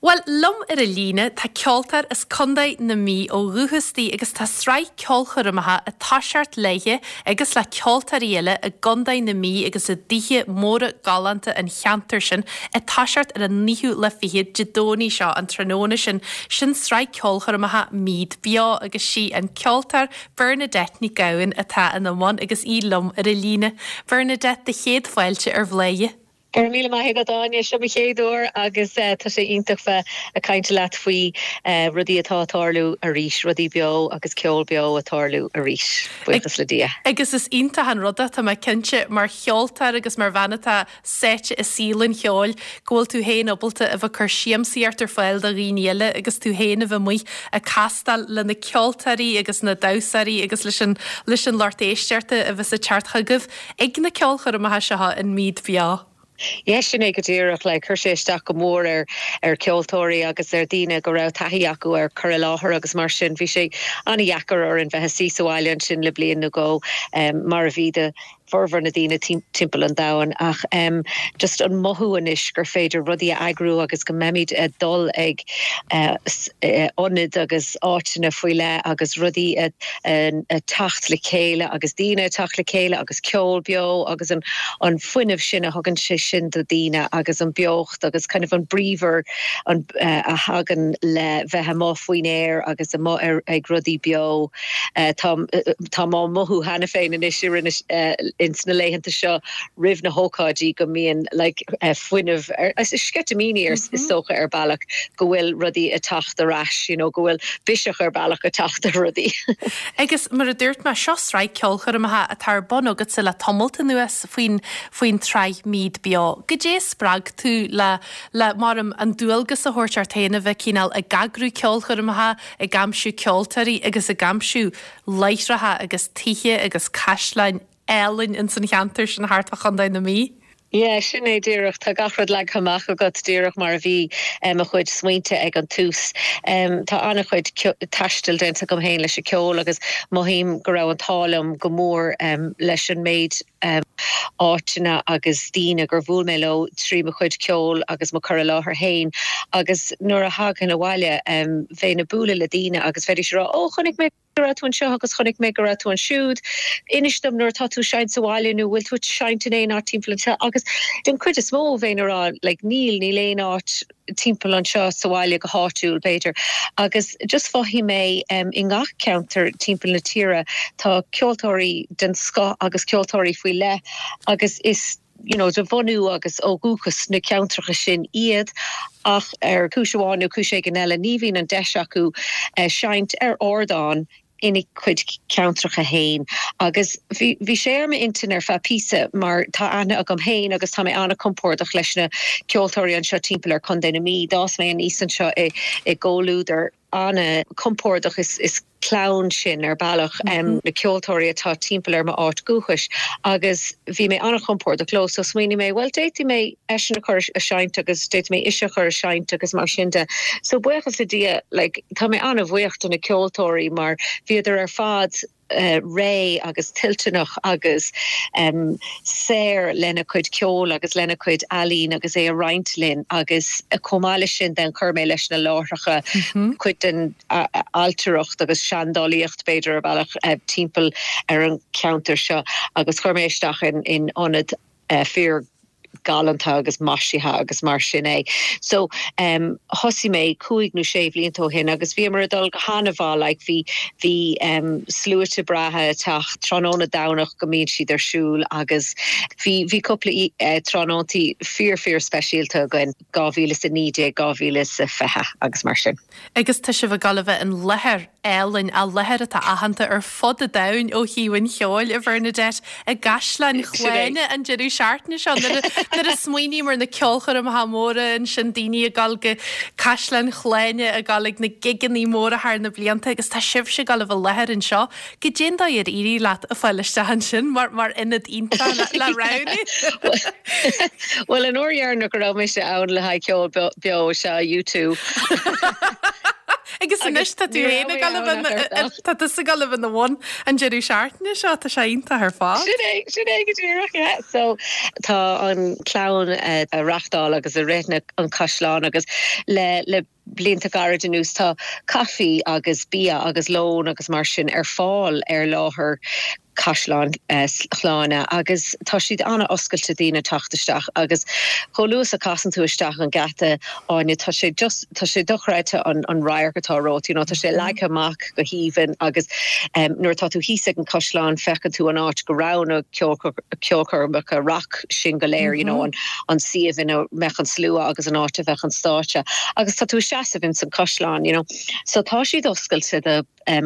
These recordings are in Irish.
Bhuel, liom ar an líne tá ceoltóir as Contae na Mí ó dhúchas di agus tá sraith ceolchoirmeacha ag toiseacht léithe agus le ceoltóirí eile i gContae na Mí agus i dtithe móra galánta an cheantair sin ag toiseacht ar an naoú lá fichead Dé Domhnaigh seo, an tráthnóna sin. Sin sraith ceolchoirmeacha Meath Beo agus sí an ceoltóir Bernadette Nic Gabhann atá ina mbun agus í liom ar an líne. Bernadette, do chéad fáilte ar Bhláth. Go raibh míle maith agat Áine, seo mo chéad uair agus tá sé iontach bheith ag caint leat faoi rudaí atá ag tarlú arís, rudaí beo agus ceol beo ag tarlú arís, buíochas le Dia. Agus is iontach an rud é, tá mé cinnte, mar cheoltóir agus mar bhean atá sáite i saol an cheoil, go bhfuil tú féin ábalta a bheith ag cur siamsaíocht ar fáil do dhaoine eile agus tú féin a bheith amuigh ag castáil le na ceoltóirí agus na damhsóirí agus leis an leis an lucht éisteachta a bheas ag teacht chugaibh. Ag na ceolchoirmeacha seo in Meath Beo. Yeah, sin é go díreach. Like, chuir sé isteach go mór ar ar cheoltóirí agus ar dhaoine go raibh taithí acu ar cur i láthair agus mar sin. Bhí sé an-dheacair orainn bheith ag suí sa bhaile ansin le bliain nó dhó, mar a bhí do formhór na daoine timpeall an domhain. Ach just an mothú anois gur féidir rudaí a eagrú agus go mbeimid ag dul ag ionaid agus áiteanna faoi leith agus rudaí ag teacht le chéile agus daoine ag teacht le chéile agus ceol beo agus an an fuinneamh sin a thugann sé sin do daoine agus an beocht agus kind of an bríomhar an a thagann le bheith amuigh faoin aer agus amuigh ar ag rudaí beo. Tá táim á mothú cheana féin anois i rith na ins na laethanta seo roimh na hócáidí go mbíonn like fuinneamh ar sceitimíní ar is dócha ar bealach go bhfuil rudaí ag teacht ar ais you know go bhfuil biseach ar bealach ag teacht ar rudaí. Agus mar a dúirt mé, seo sraith ceolchoirmeacha atá ar bun agatsa le tamalt anuas faoin faoin tsraith Meath Beo. Goidé a spreag tú le le mar an dualgas a thabhairt ort féin a bheith cineál ag eagrú ceolchoirmeacha, ag aimsiú ceoltóirí agus ag aimsiú láithreacha agus tithe agus caisleáin álainn ins an cheantar sin thart fá Chontae na Mí. Yeah, sin é díreach. Tá gach rud leagtha amach agat díreach mar a bhí mo chuid smaointe ag an tús. Tá an-chuid taistil déanta agam féin leis an ceol agus mothaím go raibh an t-ádh liom go mór leis an méid áiteanna agus daoine gur bhuail mé leo trí mo chuid ceoil agus mo cur i láthair féin agus nuair a thagainn abhaile bheinn ag bualadh le daoine agus bheidís ag rá 'Ó, chonaic mé go raibh tú anseo agus chonaic mé go raibh tú ansiúd. Inis dom nuair atá tú ag seinnt sa bhaile nó bhfuil tú ag seinnt in aon áit timpeall anseo agus den chuid is mó bheinn ag rá like níl, níl aon áit timpeall anseo sa bhaile go háitiúil b'fhéidir. Agus just mhothaigh mé i ngach ceantar timpeall na tíre tá ceoltóirí den scoth agus ceoltóirí faoi leith agus is you know, de bhunú agus ó dhúchas na ceantracha sin iad ach ar chúis amháin nó cúis éigin eile ní bhíonn an deis acu seinnt ar ardán ina gcuid ceantracha féin. Agus bhí, bhí sé ar m'intinn ar feadh píosa mar tá aithne agam féin agus tá mé an-compordach leis na ceoltóirí anseo timpeall ar Chontae na Mí. D'fhás mé aníos anseo i, i gcomhluadar an-compordach is, is clann sinn ar bealach, na ceoltóirí atá timpeall ar m'áit dhúchais agus bhí mé an-chompordach leo so smaoinigh mé bhuel d'fhéadfaí mé eisean a chur a seinnt agus d'fhéadfaí mé ise a chur a seinnt agus mar sin de. So buíochas le Dia like tá mé an-bhuíoch de na ceoltóirí mar bhíodar ar fad réidh agus toilteanach agus saor lena cuid ceoil agus lena cuid ealaín agus é a roinnt linn agus chomh maith leis sin then chuir mé leis na láithreacha cuid den ailtireacht agus seandálaíocht b'fhéidir ar bhealach timpeall ar an cheantar seo agus chuir mé isteach in ionad fíor galánta agus maisithe agus mar sin é. So thosaigh mé cúig nó sé bhlianta ó shin agus bhíomar ag dul go han-mhaith like bhí bhí sluaite breátha ag teacht tráthnóna Domhnach go mbíonn siad ar siúl agus bhí bhí cúpla tráthnóntaí fíor fíor speisialta againn 2019, 2020 agus mar sin. Agus tá sibh ag dul a bheith in láthair álainn, a láthair atá aitheanta ar fud an domhain ó thaobh an cheoil, a Bhernadette, i gCaisleán Shláine an deireadh seachtaine seo. Nuair a smaoiním ar na ceolchoirmeacha móra ansin, daoine ag dul go Caisleán Shláine, ag dul ag na gigeanna móra thar na blianta agus tá sibhse ag dul a bheith i láthair anseo. Goidé an dóigh ar éirigh leat a fáil isteach ansin mar mar ionad iontach le roghnú? Bhuel, an uair dheireanach go raibh mise ann le haghaidh ceol beo, sea U2. Agus. Agus anois tá tú féin ag dul a bheith, tá tusa ag dul a bheith ina bhun an deireadh seachtaine seo, tá sé iontach ar fad. Sin é, sin é go díreach, yeah. So tá an clann ag reachtáil agus ag rith na, an caisleán agus le, le blianta gairid anuas tá caife agus bia agus lón agus mar sin ar fáil ar láthair Caisleán Shláine agus tá siad an-oscailte daoine teacht isteach agus chomh luath is a casann tú isteach an geata, Áine, tá sé just, tá sé dochreidte an an radharc atá romhat, you know, tá sé leagtha amach go haoibhinn agus nuair atá tú thíos ag an caisleán feiceann tú an áit go raibh na ceolchoirmeacha rac sin go léir, you know, an an suíomh ina mbeadh an slua agus an áit a bheadh an stáitse agus tá tú ag seasamh ins an caisleán, you know. So tá siad oscailte do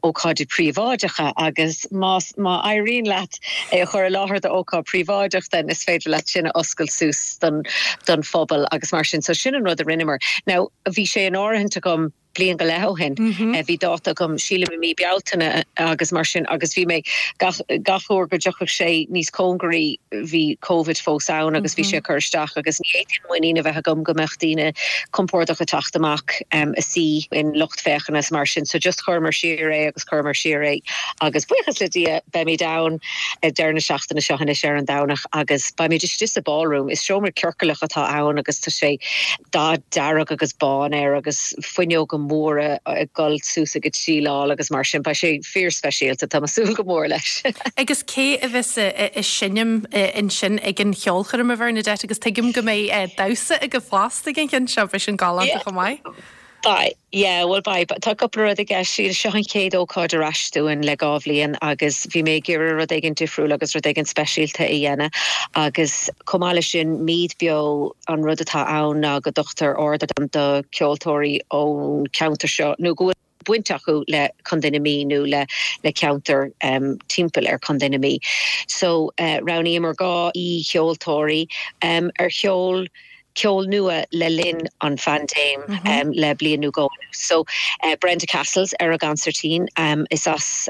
ócáidí príobháideacha agus más, má éiríonn leat é a chur i láthair do ócáid príobháideach then is féidir leat sin a oscailt suas don don phobal agus mar sin. So sin an rud a rinneamar. Now bhí sé in áirithint agam bliain go leith ó shin. Bhí dáta agam, sílim i mí Bealtaine agus mar sin agus bhí mé gach gach uair go dtiocfadh sé níos cóngaraí bhí Covid fós ann agus bhí sé ag cur isteach agus ní fhéadfainn muinín a bheith agam go mbeadh daoine compordach ag teacht amach a suí in lucht féachana is mar sin so just chuireamar siar é agus chuireamar siar é agus buíochas le Dia beimid ann ag deireadh na seachtaine seo anois ar an Domhnach agus beimid istigh sa ballroom. Is seomra ciorcalach atá ann agus tá sé dath dearg agus bán air agus fuinneoga móra ag dul suas ag an tsíleáil agus mar sin. Beidh sé fíor-speisialta, tá mé ag súil go mór leis. Agus cé a bheas ag seinm ansin ag an cheolchoirm, a Bhernadette, agus tuigim go mbeidh damhsa agaibh fosta ag an cheann seo, beidh sin galánta chomh maith. Beidh, yeah, bhuel beidh. Tá cúpla rud i gceist. Seo an chéad ócáid ar ais dúinn le 2 bhliain agus bhí mé ag iarraidh rud éigin difriúil agus rud éigin speisialta a dhéanamh agus chomh maith leis sin, Meath Beo, an rud atá ann ná go dtugtar ardán do cheoltóirí ón cheantar seo nó go bhfuil baint acu le Contae na Mí nó le le ceantar timpeall ar Chontae na Mí. So roghnaíomar 2 aoi-cheoltóirí ar cheol ceol nua le linn an phaindéim le bliain nó dhó anuas. So Brenda Cassells ar an gconsairtín, is as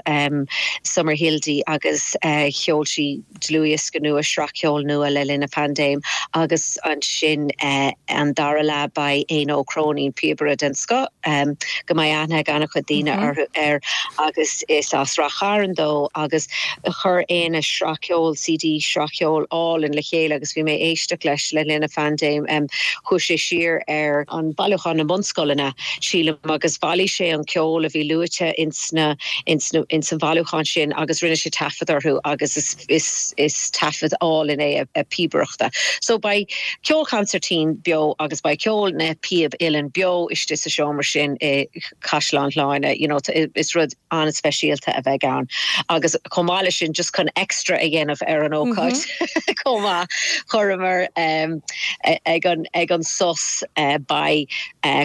Summerhill di agus cheol sí dlúthdhiosca nua, sraith ceoil nua le linn an phaindéim agus ansin an dara leath beidh Éanna Ó Cróinín, píobaire den scoth go mbeidh aithne ag an-chuid daoine orthu, air agus is as Rath Chairn dó agus chuir Éanna sraith ceoil, CD sraith cheoil álainn le chéile agus bhí mé ag éisteacht leis le linn an phaindéim. Chuaigh sé siar ar an bailiúchán na mbunscoileanna, sílim, agus bhailigh sé an ceol a bhí luaite ins na, ins na, ins an bhailiúchán sin agus rinne sé taifead orthu agus is, is, is taifead álainn é a píobaireachta. So beidh ceol consairtín beo agus beidh ceol na píob uilleann beo istigh sa seomra sin i Caisleán Shláine, you know, is rud an-speisialta a bheidh ann. Agus chomh maith leis sin, just chun extra a dhéanamh ar an ócáid chomh maith, chuireamar ag an, ag an sos beidh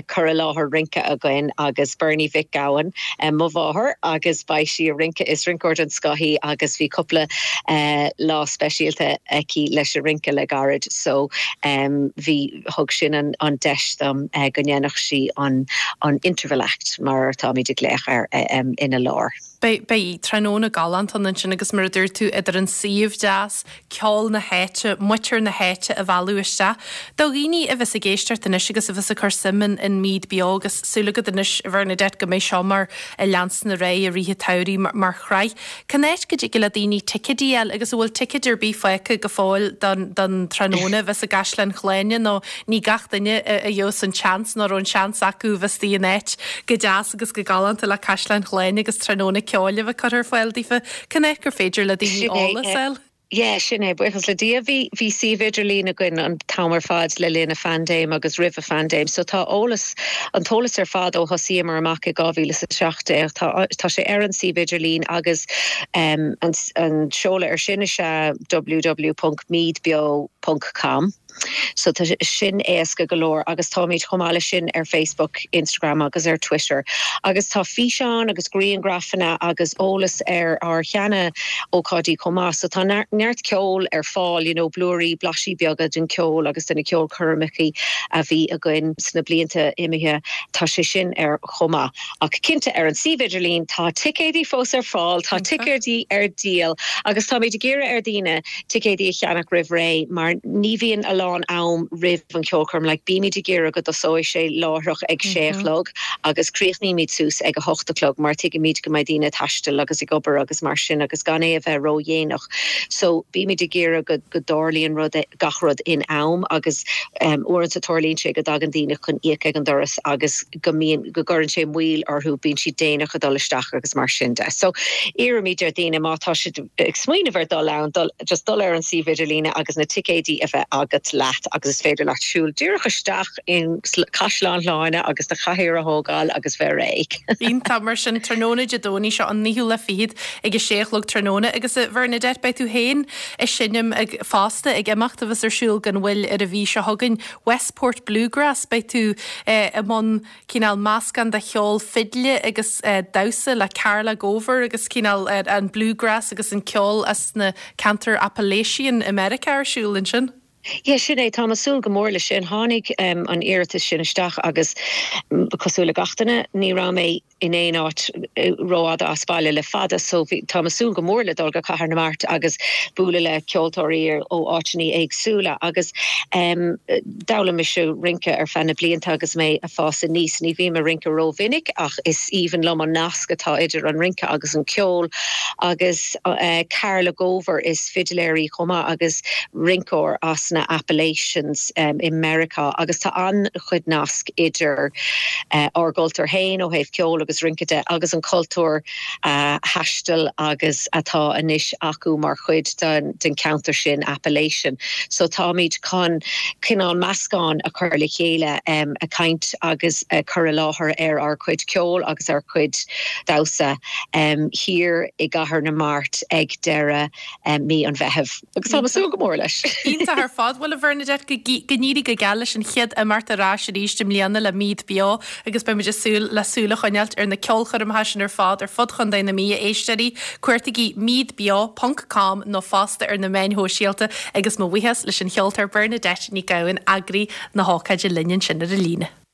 cur i láthair rince againn agus Bernie Mhic Gabhann, mo mháthair, agus beidh sí ag rince, is rinceoir den scoth í agus bhí cúpla lá speisialta aici leis an rince le gairid so bhí, thug sin an deis dom go ndéanfadh sí an interval act mar atáimid ag glaoch air ina lár. Beidh tráthnóna galánta ann ansin agus mar a dúirt tú idir an suíomh deas, ceol na háite, muintir na háite a mhealladh isteach. Do dhaoine a bheas ag éisteacht anois agus a bheas ag cur suim in in Meath Beo agus súil agat anois, a Bhernadette, go mbeidh seo mar a leanstan ar aghaidh i rith an tsamhraidh mar shraith. Cén áit go dtig le daoine ticéidí a fháil agus an bhfuil ticéid ar bith fágtha go fóill don don tráthnóna a bheas i gCaisleán Shláine nó ní gach duine a gheobhas an seans nó raibh an seans acu a bheith istigh in áit go deas agus go galánta le Caisleán Shláine agus tráthnóna ceoil a bheith curtha ar fáil daofa. Cén áit gur féidir le daoine eolas a fháil? Yeah, sin é, buíochas le Dia. Bhí, bhí suíomh idirlín againn an t-am ar fad le linn an phaindéim agus roimh an phaindéim. So tá eolas, an t-eolas ar fad ó thosaíomar amach i 2017, tá, tá sé ar an suíomh idirlín agus an, an seoladh ar sin is ea www.meathbeo.com. So tá sin éasca go leor agus táimid chomh maith leis sin ar Facebook, Instagram agus ar Twitter. Agus tá físeáin agus grianghrafanna agus eolas ar ár sheana ócáidí chomh maith. So tá neart ceoil ar fáil, you know, blúirí, blaisí beaga den cheol agus de na ceolchoirmeacha a bhí againn sna blianta imithe. Tá sé sin ar chomh maith. Ach cinnte ar an suíomh idirlín tá ticéidí fós ar fáil, tá ticéidí ar díol agus táimid ag iarraidh ar dhaoine ticéidí a cheannach roimh ré mar ní bhíonn a lán. lán am roimh an cheolchoirm, like bímid ag iarraidh go dtosóidh sé láithreach ag sé a chlog agus críochnaímid suas ag a hocht a chlog mar tuigimid go mbeidh daoine ag taisteal agus ag obair agus mar sin agus gan é a bheith ródhéanach. So bímid ag iarraidh go go dtarlaíonn rud gach rud in am agus uaireanta tarlaíonn sé go dtagann daoine chun íoc ag an doras agus go mbíonn, go gcuireann sé moill orthu, bíonn siad déanach ag dul isteach agus mar sin de. So, iarraimid ar dhaoine má tá siad ag smaoineamh ar dul ann, dul, just dul ar an suíomh idirlíne agus na ticéidí a bheith agat leat agus is féidir leat siúl díreach isteach in Caisleán Shláine agus do chathaoir a thógáil agus bheith réidh. Iontach, mar sin, tráthnóna Dé Domhnaigh seo an naoú lá fichead ag a sé a chlog tráthnóna agus a Bhernadette beidh tú féin ag seinm ag fosta ag imeacht a bheas ar siúl gan mhoill ar an mhí seo chugainn. Westport Bluegrass, beidh tú i mbun cineál meascán de cheol fidle agus damhsa le Carla Gover agus cineál an bluegrass agus an ceol as na ceantair Appalachian i Meiriceá ar siúl ansin. Yeah, sin é, táim ag súil go mór leis sin. Tháinig an iarratas sin isteach agus cosúil le gach duine, ní raibh mé in aon áit rófhada as baile le fada so bhí, táim ag súil go mór le dul go Cathair na Mart agus bualadh le ceoltóirí ó áiteanna éagsúla agus em d'fhoghlaim mise rince ar feadh na blianta agus mé ag fás aníos. Ní bhím ag rince rómhinic ach is aoibhinn liom an nasc atá idir an rince agus an ceol agus eh Carla Gover is fidiléir í chomh maith agus rinceoir as na Appalachians em i Meiriceá agus tá an-chuid nasc idir ár gcultúr féin ó thaobh ceoil agus rince de agus an cultúr a thaistil agus atá anois acu mar chuid den cheantar sin, Appalachian. So táimid chun cineál meascán a chur le chéile, ag caint agus ag cur i láthair ar ár gcuid ceoil agus ár gcuid damhsa thiar i gCathair na Mart ag deireadh mí an Mheithimh. Agus táim ag súil go mór leis. Iontach ar fad. Bhuel, a Bhernadette, go n-éirí go geal leis an chéad imeacht ar ais arís i mbliana le Meath Beo agus beidh muid ag súil le súil a choinneáilt ar na ceolchoirmeacha sin ar fad ar fud Chontae na Mí, a éisteoirí. Cuartaígí meathbeo ponc com nó fosta ar na meáin shóisialta agus mo bhuíochas leis an cheoltóir Bernadette Ní Ghabhann, eagraí na hócáide linn ansin ar an líne.